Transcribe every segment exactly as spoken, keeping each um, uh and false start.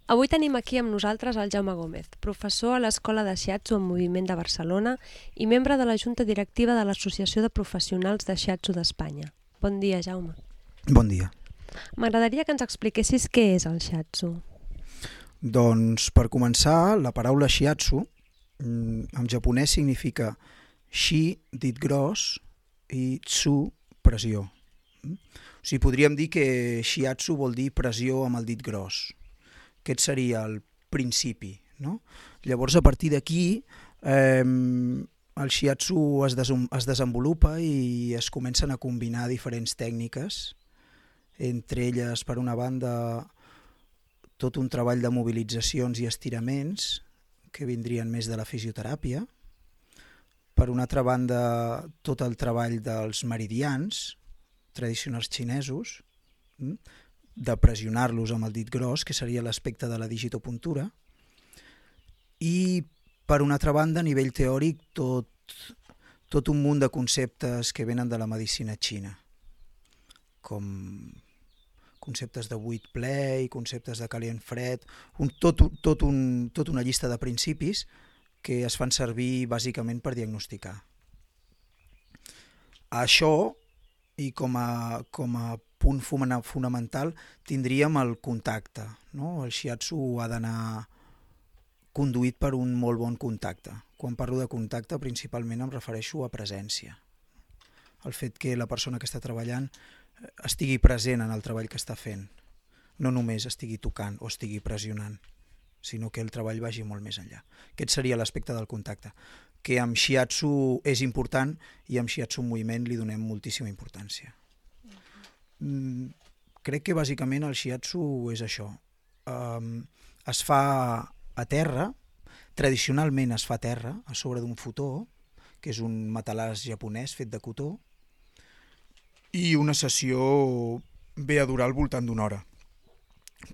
Avui tenim aquí amb nosaltres el Jaume Gómez, professor a l'Escola de Shiatsu en Moviment de Barcelona i membre de la Junta Directiva de l'Associació de Professionals de Shiatsu d'Espanya. Bon dia, Jaume. Bon dia. M'agradaria que ens expliquessis què és el Shiatsu. Doncs, per començar, la paraula Shiatsu en japonès significa shi, dit gros, i tsu, pressió. O sigui, podríem dir que Shiatsu vol dir pressió amb el dit gros. Aquest seria el principi, no? Llavors, a partir d'aquí, eh, el Shiatsu es, des es desenvolupa i es comencen a combinar diferents tècniques, entre elles, per una banda, tot un treball de mobilitzacions i estiraments, que vindrien més de la fisioteràpia. Per una altra banda, tot el treball dels meridians, tradicionals xinesos, de pressionar-los amb el dit gros, que seria l'aspecte de la digitopuntura. I, per una altra banda, a nivell teòric, tot, tot un munt de conceptes que venen de la medicina xina, com conceptes de buit ple i conceptes de calent fred, un, tot, tot, un, tot una llista de principis que es fan servir bàsicament per diagnosticar. Això, i com a, com a punt fonamental, tindríem el contacte, no? El Shiatsu ha d'anar conduït per un molt bon contacte. Quan parlo de contacte, principalment em refereixo a presència. El fet que la persona que està treballant estigui present en el treball que està fent, no només estigui tocant o estigui pressionant, sinó que el treball vagi molt més enllà. Aquest seria l'aspecte del contacte, que amb Shiatsu és important i amb Shiatsu en moviment li donem moltíssima importància. Mm, crec que bàsicament el Shiatsu és això. Um, es fa a terra, tradicionalment es fa a terra, a sobre d'un futó, que és un matalàs japonès fet de cotó, i una sessió ve a durar al voltant d'una hora.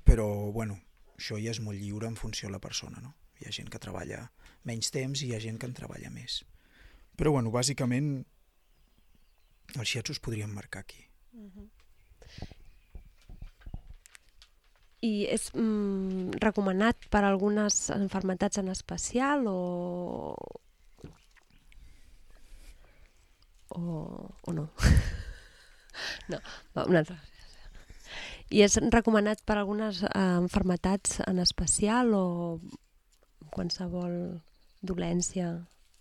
Però, bueno, això ja és molt lliure en funció de la persona, no? Hi ha gent que treballa menys temps i hi ha gent que en treballa més. Però, bueno, bàsicament, els shiatsu es podrien marcar aquí. Uh-huh. I és mm, recomanat per algunes malalties en especial o... o, o no? No, va, una altra. I és recomanat per algunes eh, malalties en especial o qualsevol dolència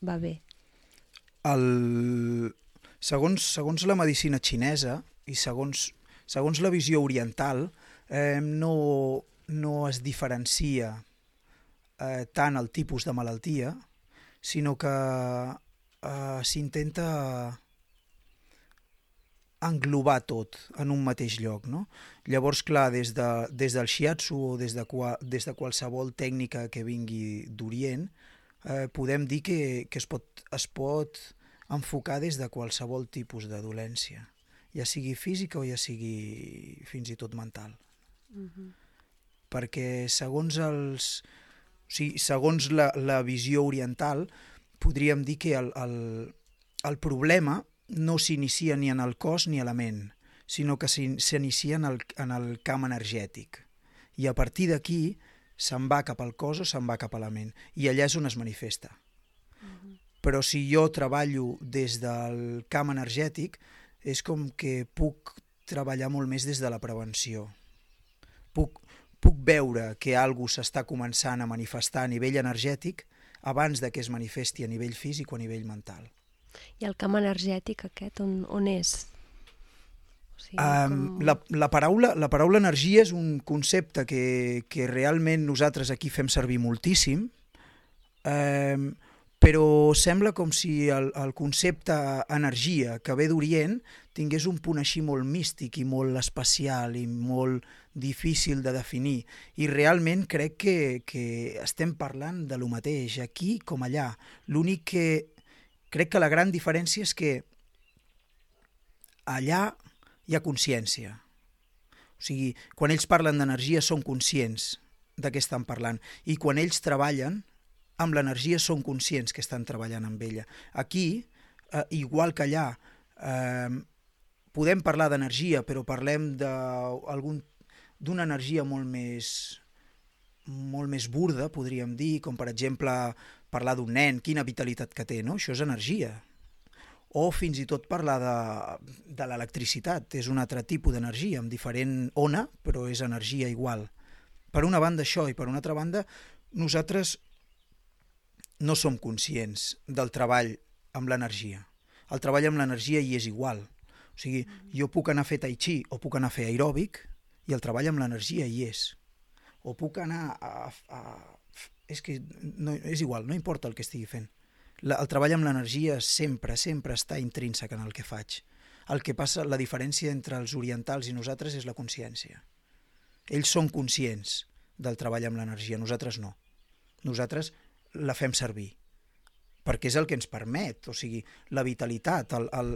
va bé? El... Segons, segons la medicina xinesa i segons, segons la visió oriental, eh, no, no es diferencia eh, tant el tipus de malaltia, sinó que eh, s'intenta englobar tot en un mateix lloc, no? Llavors, clar, des, de, des del shiatsu o des de, des de qualsevol tècnica que vingui d'Orient, eh, podem dir que, que es, pot, es pot enfocar des de qualsevol tipus de dolència, ja sigui física o ja sigui fins i tot mental. Uh-huh. Perquè segons, els, o sigui, segons la, la visió oriental, podríem dir que el, el, el problema no s'inicia ni en el cos ni a la ment, sinó que s'inicia en, el, en el camp energètic. I a partir d'aquí se'n va cap al cos o se'n va cap a la ment. I allà és on es manifesta. Uh-huh. Però si jo treballo des del camp energètic, és com que puc treballar molt més des de la prevenció. Puc, puc veure que alguna cosa s'està començant a manifestar a nivell energètic abans de que es manifesti a nivell físic o a nivell mental. I el camp energètic aquest, on, on és? O sigui, um, com... la, la, paraula, la paraula energia és un concepte que, que realment nosaltres aquí fem servir moltíssim, um, però sembla com si el, el concepte energia que ve d'Orient tingués un punt així molt místic i molt especial i molt difícil de definir. I realment crec que, que estem parlant de lo mateix aquí com allà. L'únic que crec que la gran diferència és que allà hi ha consciència. O sigui, quan ells parlen d'energia són conscients de què estan parlant i quan ells treballen amb l'energia són conscients que estan treballant amb ella. Aquí, eh, igual que allà, eh, podem parlar d'energia, però parlem d'una energia molt més molt més burda, podríem dir, com per exemple parlar d'un nen, quina vitalitat que té, no? Això és energia. O fins i tot parlar de, de l'electricitat, és un altre tipus d'energia, amb diferent ona, però és energia igual. Per una banda això, i per una altra banda, nosaltres no som conscients del treball amb l'energia. El treball amb l'energia hi és igual. O sigui, jo puc anar a fer tai chi o puc anar a fer aeròbic i el treball amb l'energia hi és. O puc anar a... a és que no, és igual, no importa el que estigui fent. La, el treball amb l'energia sempre, sempre està intrínsec en el que faig. El que passa, la diferència entre els orientals i nosaltres és la consciència. Ells són conscients del treball amb l'energia, nosaltres no. Nosaltres la fem servir, perquè és el que ens permet, o sigui, la vitalitat, el, el,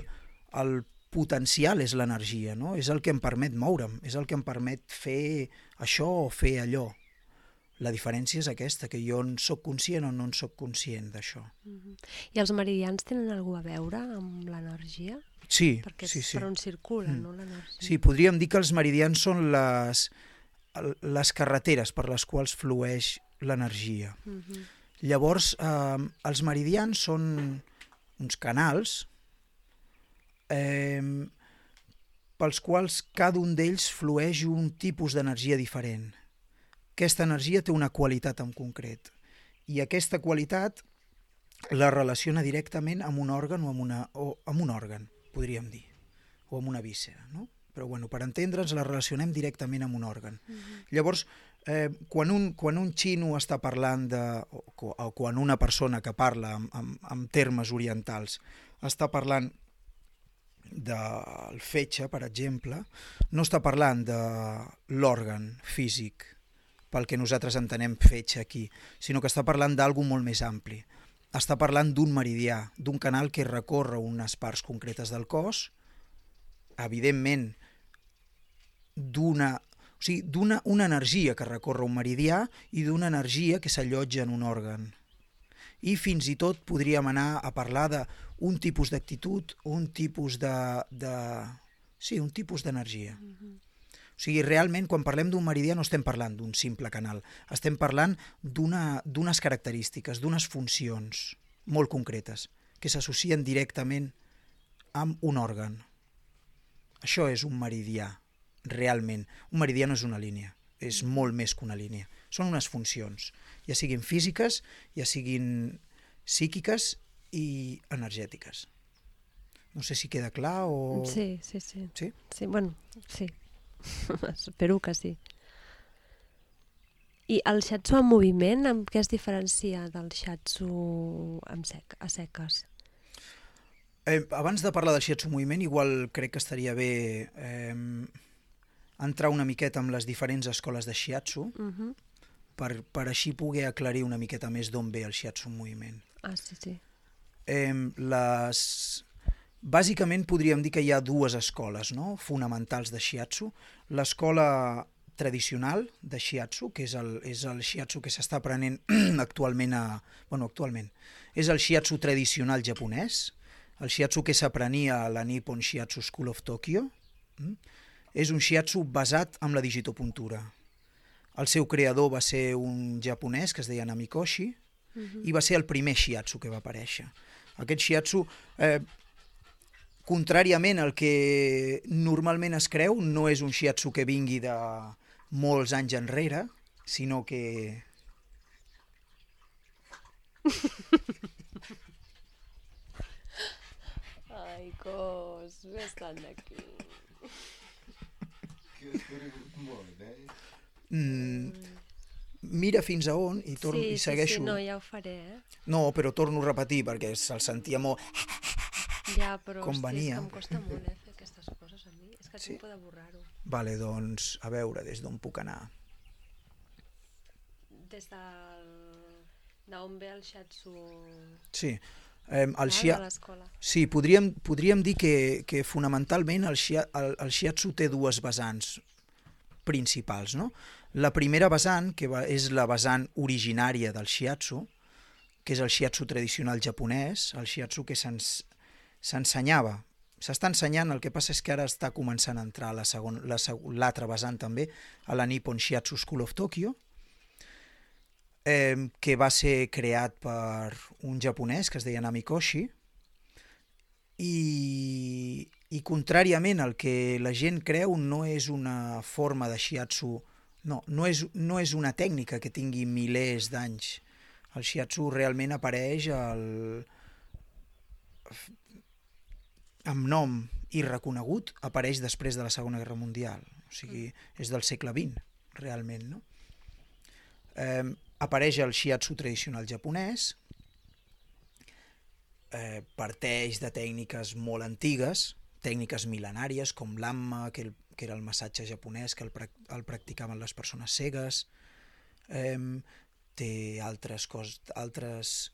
el potencial és l'energia, no? És el que em permet moure'm, és el que em permet fer això o fer allò. La diferència és aquesta, que jo en soc conscient o no en soc conscient d'això. Mm-hmm. I els meridians tenen alguna a veure amb l'energia? Sí, perquè sí, sí. Per on circula, mm. no, l'energia? Sí, podríem dir que els meridians són les, les carreteres per les quals flueix l'energia. Mm-hmm. Llavors, eh, els meridians són uns canals eh, pels quals cada un d'ells flueix un tipus d'energia diferent. Aquesta energia té una qualitat en concret i aquesta qualitat la relaciona directament amb un òrgan o amb, una, o amb un òrgan, podríem dir, o amb una víscera, no? Però bueno, per entendre'ns la relacionem directament amb un òrgan. Mm-hmm. Llavors, eh, quan, un, quan un xino està parlant de, o, o quan una persona que parla amb, amb, amb termes orientals està parlant del fetge, per exemple, no està parlant de l'òrgan físic pel que nosaltres entenem fetge aquí, sinó que està parlant d'algú molt més ampli. Està parlant d'un meridià, d'un canal que recorre unes parts concretes del cos, evidentment d'una, o sigui, d'una una energia que recorre un meridià i d'una energia que s'allotja en un òrgan. I fins i tot podríem anar a parlar d'un tipus d'actitud, un tipus de, de... sí, un tipus d'energia. Mm-hmm. O sigui, realment, quan parlem d'un meridià no estem parlant d'un simple canal, estem parlant d'una, d'unes característiques, d'unes funcions molt concretes, que s'associen directament amb un òrgan. Això és un meridià, realment. Un meridià no és una línia, és molt més que una línia. Són unes funcions, ja siguin físiques, ja siguin psíquiques i energètiques. No sé si queda clar o... Sí, sí, sí. Sí? Sí, bueno, sí. Espero que sí. I el shiatsu en moviment, amb què es diferencia del shiatsu amb sec, a seques? Eh, abans de parlar del shiatsu en moviment, igual crec que estaria bé eh, entrar una miqueta amb les diferents escoles de shiatsu, uh-huh. per, per així poder aclarir una miqueta més d'on ve el shiatsu en moviment. Ah, sí, sí. Eh, les... Bàsicament podríem dir que hi ha dues escoles, no?, fonamentals de shiatsu. L'escola tradicional de shiatsu, que és el, és el shiatsu que s'està aprenent actualment a... Bueno, actualment. És el shiatsu tradicional japonès, el shiatsu que s'aprenia a la Nippon Shiatsu School of Tokyo. Mm? És un shiatsu basat en la digitopuntura. El seu creador va ser un japonès que es deia Namikoshi, uh-huh. i va ser el primer shiatsu que va aparèixer. Aquest shiatsu... Eh, Contràriament al que normalment es creu, no és un shiatsu que vingui de molts anys enrere, sinó que... Ai, cos, estan d'aquí. Mm, mira fins a on i, torno, sí, i segueixo. Sí, sí, no, ja ho faré, eh? No, però torno a repetir perquè se'l sentia molt... Ja, però com hosti, venia. és que em costa molt eh, fer aquestes coses a mi. És que Sí. tinc por de borrar-ho. Vale, doncs, a veure, des d'on puc anar. Des del... d'on ve el shiatsu... Sí, eh, el ah, shia... de l'escola. sí podríem, podríem dir que, que fonamentalment el, shia... el, el shiatsu té dues vessants principals, no? La primera vessant, que va, és la vessant originària del shiatsu, que és el shiatsu tradicional japonès, el shiatsu que se'ns s'ensenyava, s'està ensenyant, el que passa és que ara està començant a entrar la segon, la, l'altra vessant també, a la Nippon Shiatsu School of Tokyo, eh, que va ser creat per un japonès que es deia Namikoshi, i, i contràriament al que la gent creu, no és una forma de shiatsu, no, no és, no és una tècnica que tingui milers d'anys. El shiatsu realment apareix al, amb nom i reconegut, apareix després de la Segona Guerra Mundial, o sigui, és del segle vint, realment, no? Eh, apareix el shiatsu tradicional japonès, eh, parteix de tècniques molt antigues, tècniques mil·lenàries com l'amma, que, el, que era el massatge japonès que el, el practicaven les persones cegues, eh, té altres coses, altres,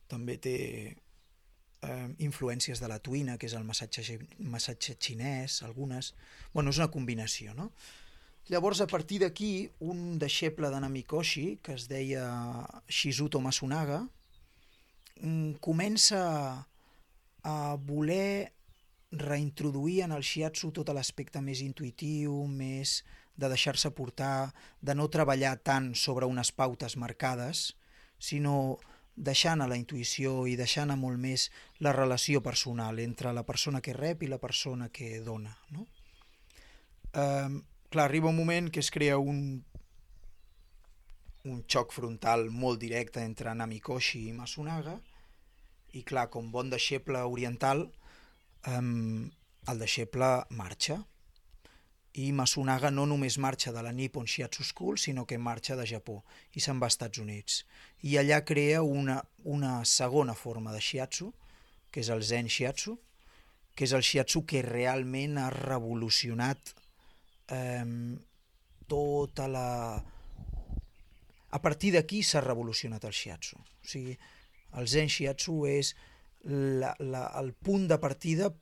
també té eh, influències de la tuina, que és el massatge, massatge xinès, algunes, bueno, és una combinació, no? Llavors, a partir d'aquí, un deixeble de Namikoshi, que es deia Shizuto Masunaga, comença a voler reintroduir en el shiatsu tot l'aspecte més intuïtiu, més de deixar-se portar, de no treballar tant sobre unes pautes marcades, sinó deixant a la intuïció i deixant a molt més la relació personal entre la persona que rep i la persona que dona, no? Eh, clar, arriba un moment que es crea un, un xoc frontal molt directe entre Namikoshi i Masunaga, i clar, com bon deixeble oriental, eh, el deixeble marxa. I Masunaga no només marxa de la Nippon Shiatsu School, sinó que marxa de Japó i se'n va als Estats Units. I allà crea una, una segona forma de shiatsu, que és el Zen Shiatsu, que és el shiatsu que realment ha revolucionat eh, tota la... A partir d'aquí s'ha revolucionat el shiatsu. O sigui, el Zen Shiatsu és la, la, el punt de partida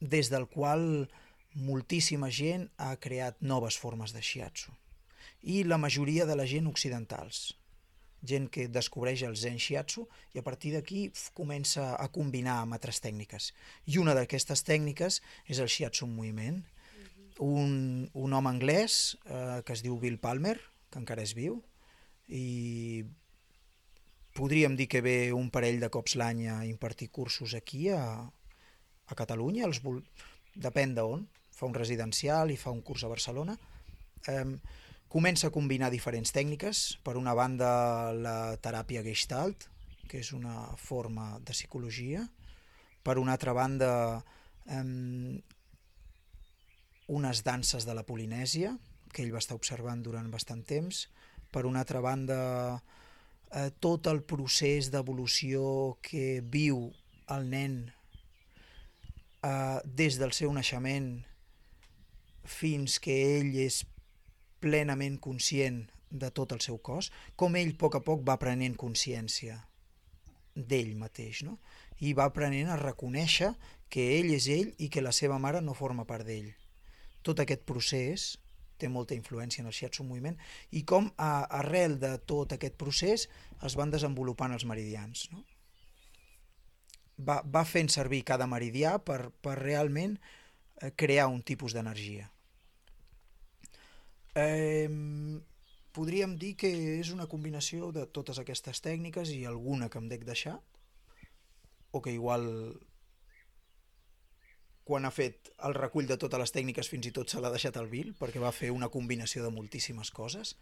des del qual moltíssima gent ha creat noves formes de shiatsu. I la majoria de la gent occidentals. Gent que descobreix el Zen Shiatsu i a partir d'aquí comença a combinar amb altres tècniques. I una d'aquestes tècniques és el shiatsu en moviment. Un, un home anglès eh, que es diu Bill Palmer, que encara és viu, i podríem dir que ve un parell de cops l'any a impartir cursos aquí a, a Catalunya, els vol... depèn d'on, fa un residencial i fa un curs a Barcelona. Eh, comença a combinar diferents tècniques, per una banda la teràpia Gestalt, que és una forma de psicologia, per una altra banda eh, unes danses de la Polinèsia, que ell va estar observant durant bastant temps, per una altra banda eh, tot el procés d'evolució que viu el nen eh, des del seu naixement fins que ell és plenament conscient de tot el seu cos, com ell a poc a poc va prenent consciència d'ell mateix, no? I va aprenent a reconèixer que ell és ell i que la seva mare no forma part d'ell. Tot aquest procés té molta influència en el shiatsu en moviment i com a, arrel de tot aquest procés es van desenvolupant els meridians, no? Va, va fent servir cada meridià per, per realment eh, crear un tipus d'energia. Eh, podríem dir que és una combinació de totes aquestes tècniques i alguna que em dec deixar, o que igual quan ha fet el recull de totes les tècniques fins i tot se l'ha deixat al Bill, perquè va fer una combinació de moltíssimes coses.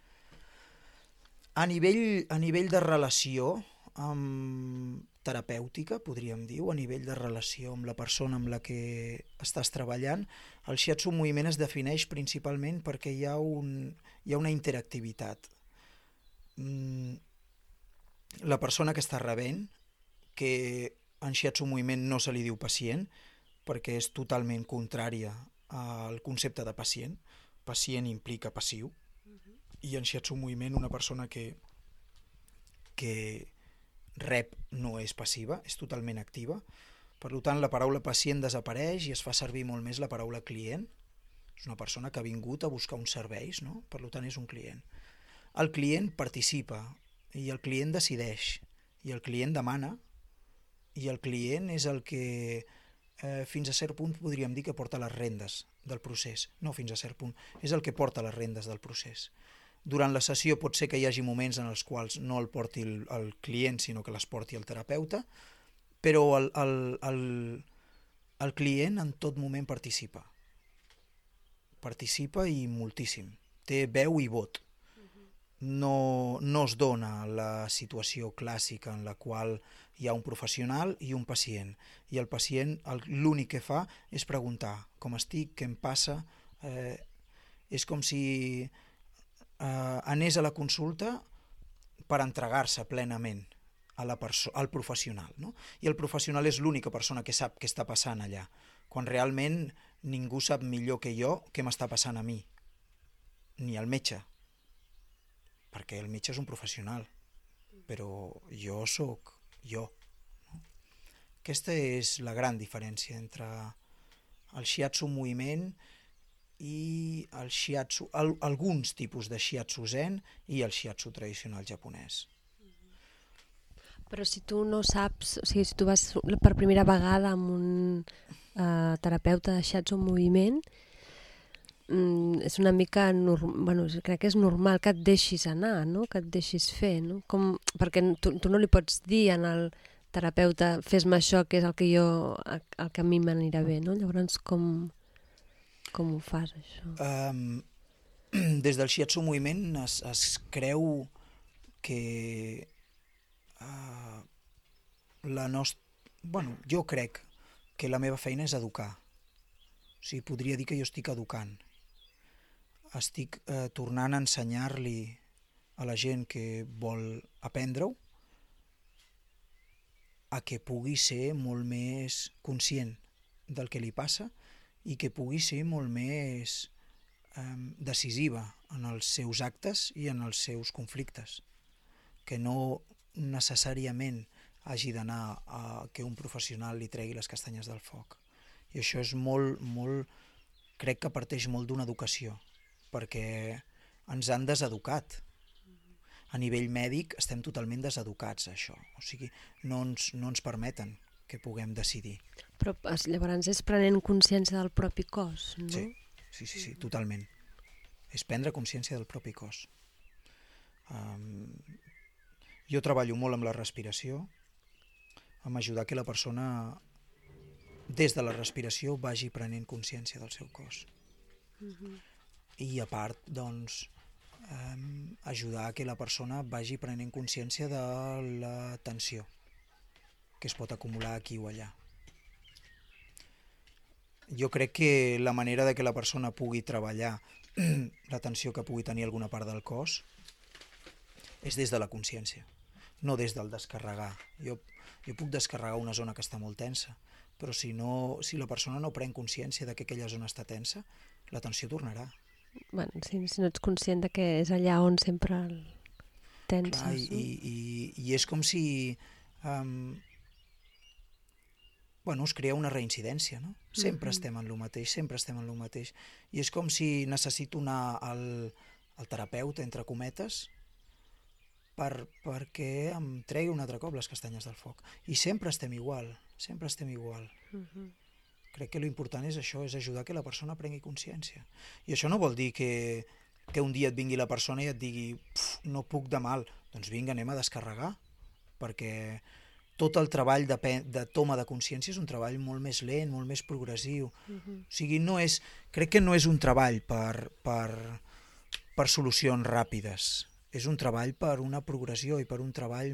A nivell, a nivell de relació amb terapèutica, podríem dir, o a nivell de relació amb la persona amb la que estàs treballant, el shiatsu en moviment es defineix principalment perquè hi ha, un, hi ha una interactivitat. La persona que està rebent, que en shiatsu en moviment no se li diu pacient, perquè és totalment contrària al concepte de pacient. Pacient implica passiu, i en shiatsu en moviment una persona que, que rep no és passiva, és totalment activa. Per tant, la paraula pacient desapareix i es fa servir molt més la paraula client. És una persona que ha vingut a buscar uns serveis, no? Per tant, és un client. El client participa, i el client decideix, i el client demana, i el client és el que eh, fins a cert punt podríem dir que porta les rendes del procés. No fins a cert punt, és el que porta les rendes del procés. Durant la sessió pot ser que hi hagi moments en els quals no el porti el, el client, sinó que les porti el terapeuta, però el, el, el, el client en tot moment participa. Participa i moltíssim. Té veu i vot. No, no es dona la situació clàssica en la qual hi ha un professional i un pacient. I el pacient l'únic que fa és preguntar com estic, què em passa. Eh, és com si eh, anés a la consulta per entregar-se plenament a la perso- al professional, no? I el professional és l'única persona que sap què està passant allà, quan realment ningú sap millor que jo què m'està passant a mi, ni el metge, perquè el metge és un professional, però jo sóc jo. No? Aquesta és la gran diferència entre el shiatsu moviment i el shiatsu, el, alguns tipus de shiatsu zen i el shiatsu tradicional japonès. Però si tu no saps, o sigui, si tu vas per primera vegada amb un uh, terapeuta de shiatsu en moviment, mm, és una mica, bueno, crec que és normal que et deixis anar, no? Que et deixis fer, no? Com, perquè tu, tu no li pots dir al terapeuta fes-me això, que és el que jo, el que a mi m'anirà bé, no? Llavors, com, com ho fas, això? Um, des del shiatsu moviment es, es creu que uh, la nostra... Bueno, jo crec que la meva feina és educar. O sigui, podria dir que jo estic educant. Estic eh, tornant a ensenyar-li a la gent que vol aprendre-ho a que pugui ser molt més conscient del que li passa i que pugui ser molt més eh, decisiva en els seus actes i en els seus conflictes. Que no necessàriament hagi d'anar a que un professional li tregui les castanyes del foc. I això és molt, molt, crec que parteix molt d'una educació, perquè ens han deseducat. A nivell mèdic estem totalment deseducats a això, o sigui, no ens, no ens permeten que puguem decidir. Però llavors és prenent consciència del propi cos, no? Sí, sí, sí, sí, totalment. És prendre consciència del propi cos. Um, jo treballo molt amb la respiració, amb ajudar que la persona, des de la respiració, vagi prenent consciència del seu cos. Uh-huh. I a part, doncs, eh, ajudar que la persona vagi prenent consciència de la tensió que es pot acumular aquí o allà. Jo crec que la manera de que la persona pugui treballar la tensió que pugui tenir alguna part del cos és des de la consciència, no des del descarregar. Jo, jo puc descarregar una zona que està molt tensa, però si, no, si la persona no pren consciència de que aquella zona està tensa, la tensió tornarà. Bueno, si, si no ets conscient de que és allà on sempre el tenses. Clar, i, i, i, i és com si um, bueno, es crea una reincidència, no? Sempre uh-huh. estem en lo mateix, sempre estem en lo mateix. I és com si necessito anar al, al terapeuta, entre cometes, per, perquè em tregui un altre cop les castanyes del foc. I sempre estem igual, sempre estem igual. Uh-huh. Crec que l'important és això, és ajudar que la persona prengui consciència. I això no vol dir que, que un dia et vingui la persona i et digui no puc de mal. Doncs vinga, anem a descarregar, perquè tot el treball de, de toma de consciència és un treball molt més lent, molt més progressiu. Uh-huh. O sigui, no és, crec que no és un treball per, per, per solucions ràpides. És un treball per una progressió i per un treball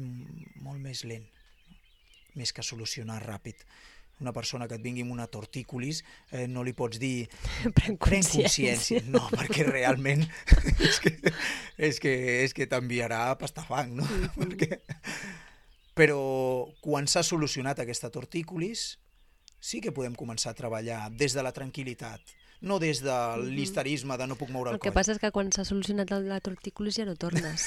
molt més lent, més que solucionar ràpid. Una persona que et vingui amb una tortícolis eh, no li pots dir pren pren consciència. No, perquè realment és que, és que, és que t'enviarà a pastafang, no? Mm-hmm. perquè... Però quan s'ha solucionat aquesta tortícolis sí que podem començar a treballar des de la tranquil·litat, no des de l'histerisme de no puc moure el, el coll. El que passa és que quan s'ha solucionat la tortícolis ja no tornes.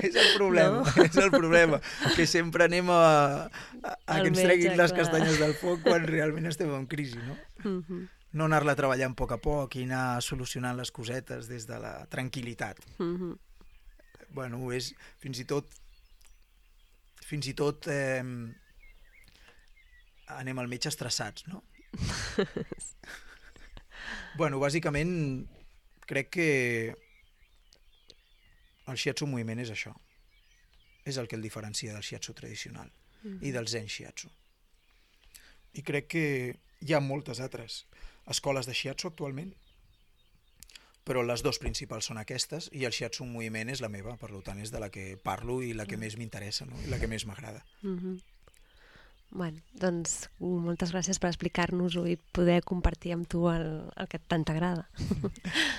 És el problema, no? És el problema, que sempre anem a, a, a que ens metge, treguin les clar. castanyes del foc quan realment estem en crisi, no? Uh-huh. No anar-la treballant a poc a poc i anar solucionant les cosetes des de la tranquil·litat. Uh-huh. Bueno, és fins i tot fins i tot eh, anem al metge estressats, no? Bueno, bàsicament crec que el shiatsu en moviment és això. És el que el diferencia del shiatsu tradicional mm. i del zen shiatsu. I crec que hi ha moltes altres escoles de shiatsu actualment, però les dues principals són aquestes i el shiatsu en moviment és la meva, per tant és de la que parlo i la que mm. més m'interessa, no? I la que més m'agrada. Mm-hmm. Bueno, doncs moltes gràcies per explicar-nos-ho i poder compartir amb tu el, el que tant t'agrada.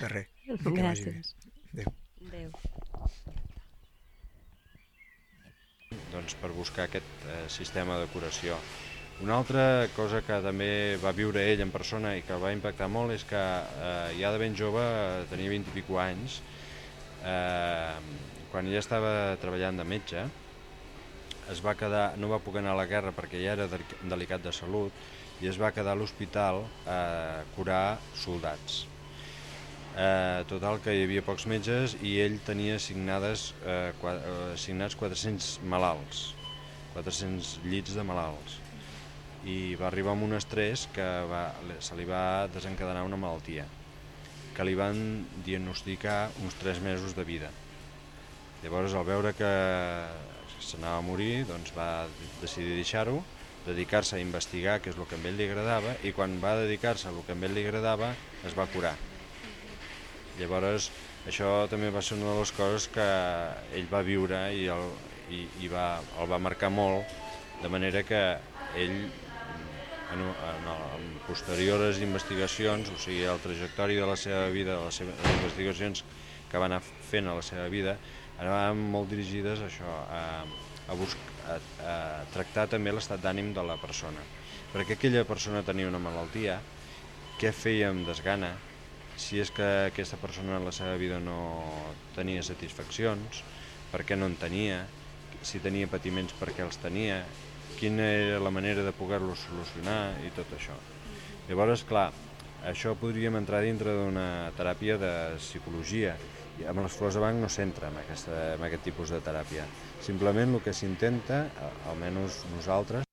De res. Gràcies. Adéu. Adéu. Doncs per buscar aquest eh, sistema de curació. Una altra cosa que també va viure ell en persona i que el va impactar molt és que eh, ja de ben jove, tenia vint i pico anys, eh, quan ella estava treballant de metge, es va quedar, no va poder anar a la guerra perquè ja era delicat de salut i es va quedar a l'hospital a curar soldats. Eh, total que hi havia pocs metges i ell tenia assignades, eh, assignats quatre-cents malalts, quatre-cents llits de malalts. I va arribar amb un estrès que va, se li va desencadenar una malaltia, que li van diagnosticar uns tres mesos de vida. Llavors, al veure que s'anava a morir, doncs va decidir deixar-ho, dedicar-se a investigar què és el que a ell li agradava, i quan va dedicar-se a el que a ell li agradava, es va curar. Llavors, això també va ser una de les coses que ell va viure i, el, i, i va, el va marcar molt, de manera que ell, en, en, en posteriors investigacions, o sigui, el trajectori de la seva vida, les seves investigacions que va anar fent a la seva vida, anaven molt dirigides a això, a, a, buscar, a, a tractar també l'estat d'ànim de la persona. Perquè aquella persona tenia una malaltia, què feia amb desgana, si és que aquesta persona en la seva vida no tenia satisfaccions, per què no en tenia, si tenia patiments per què els tenia, quina era la manera de poder-los solucionar i tot això. Llavors, clar, això podríem entrar dintre d'una teràpia de psicologia, i amb les flors de Bach no s'entra en, aquesta, en aquest tipus de teràpia. Simplement el que s'intenta, almenys nosaltres,